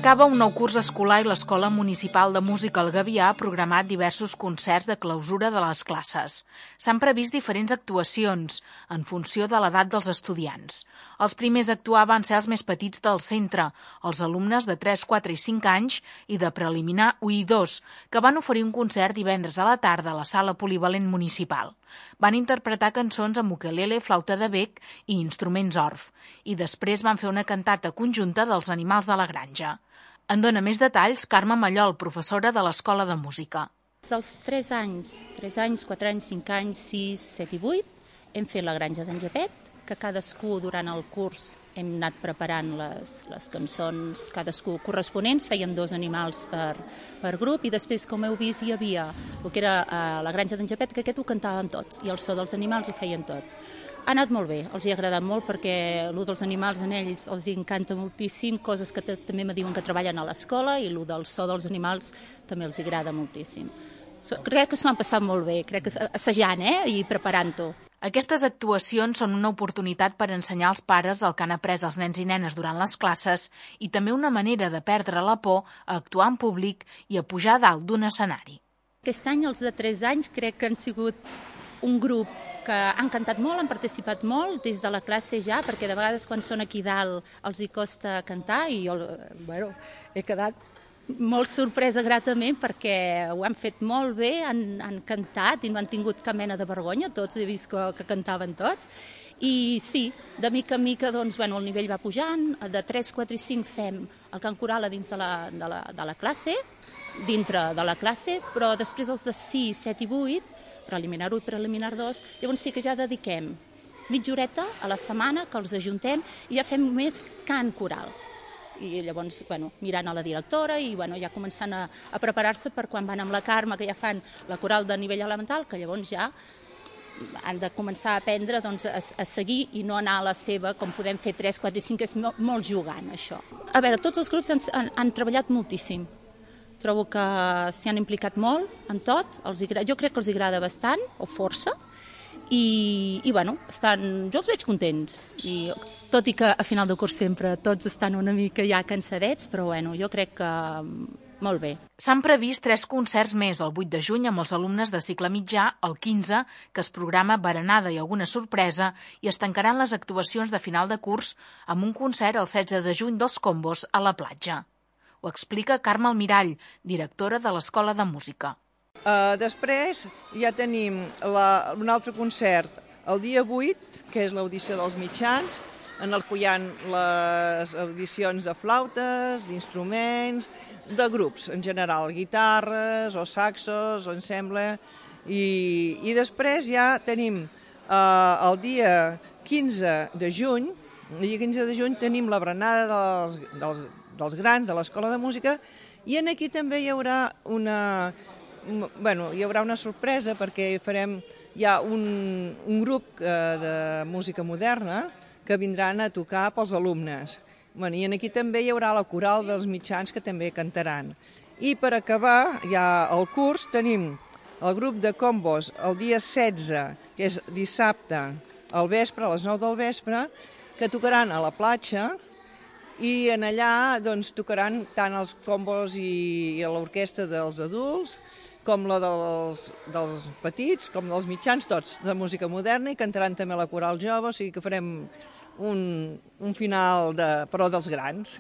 S'acaba un nou curs escolar i l'Escola Municipal de Música El Gavià ha programat diversos concerts de clausura de les classes. S'han previst diferents actuacions en funció de l'edat dels estudiants. Els primers a actuar van ser els més petits del centre, els alumnes de 3, 4 i 5 anys i de preliminar 1 i 2, que van oferir un concert divendres a la tarda a la sala polivalent municipal. Van interpretar cançons amb ukelele, flauta de bec i instruments orf, i després van fer una cantata conjunta dels animals de la granja. En dona més detalls Carme Mallol, professora de l'Escola de Música. Dels 3 anys, 4 anys, 5 anys, 6, 7 i 8, hem fet la granja d'en Japet, que cadascú durant el curs hem anat preparant les cançons, cadascú corresponents, fèiem 2 animals per grup i després, com heu vist, hi havia el que era la granja d'en Japet, que aquest ho cantàvem tots i el so dels animals ho fèiem tot. Ha anat molt bé, els hi ha agradat molt perquè el dels animals en ells els encanta moltíssim, coses que també me diuen que treballen a l'escola i el del so dels animals també els agrada moltíssim. Crec que s'ho han passat molt bé, crec que assajant i preparant-ho. Aquestes actuacions són una oportunitat per ensenyar als pares el que han après els nens i nenes durant les classes i també una manera de perdre la por a actuar en públic i a pujar a dalt d'un escenari. Aquest any els de 3 anys crec que han sigut un grup que han cantat molt, han participat molt des de la classe ja, perquè de vegades quan són aquí dalt els hi costa cantar i jo he quedat molt sorpresa gratament perquè ho han fet molt bé, han cantat i no han tingut cap mena de vergonya, tots he vist que cantaven tots. I sí, de mica en mica doncs, el nivell va pujant, de 3, 4 i 5 fem el cant coral a dins de la classe, dintre de la classe, però després els de 6, 7 i 8, preliminar 1 i preliminar 2, llavors sí que ja dediquem mitja horeta a la setmana que els ajuntem i ja fem més cant coral. I llavors, mirant a la directora i ja començant a preparar-se per quan van amb la Carme, que ja fan la coral de nivell elemental, que llavors ja han de començar a aprendre a seguir i no anar a la seva, com podem fer 3, 4 i 5, que és molt jugant, això. A veure, tots els grups han treballat moltíssim. Trobo que s'hi han implicat molt en tot, jo crec que els agrada bastant, o força, i jo els veig contents. Tot i que a final de curs sempre tots estan una mica ja cansadets, però jo crec que molt bé. S'han previst 3 concerts més, el 8 de juny amb els alumnes de cicle mitjà, el 15, que es programa berenada i alguna sorpresa, i es tancaran les actuacions de final de curs amb un concert el 16 de juny dels Combos a la platja. Ho explica Carme Almirall, directora de l'Escola de Música. Després ja tenim un altre concert el dia 8, que és l'audició dels mitjans, en el que hi ha les audicions de flautes, d'instruments, de grups en general, guitarres o saxos o ensemble. I després ja tenim el dia 15 de juny, tenim la berenada dels grans de l'Escola de Música i aquí també hi haurà una sorpresa perquè farem un grup de música moderna que vindran a tocar pels alumnes. I aquí també hi haurà la coral dels mitjans que també cantaran. I per acabar ja el curs tenim el grup de Combos el dia 16, que és dissabte al vespre, a les 9 del vespre, que tocaran a la platja i en allà tocaran tant els combos i l'orquestra dels adults com la dels petits, com dels mitjans, tots de música moderna, i cantaran també la coral jove, o sigui que farem un final però dels grans.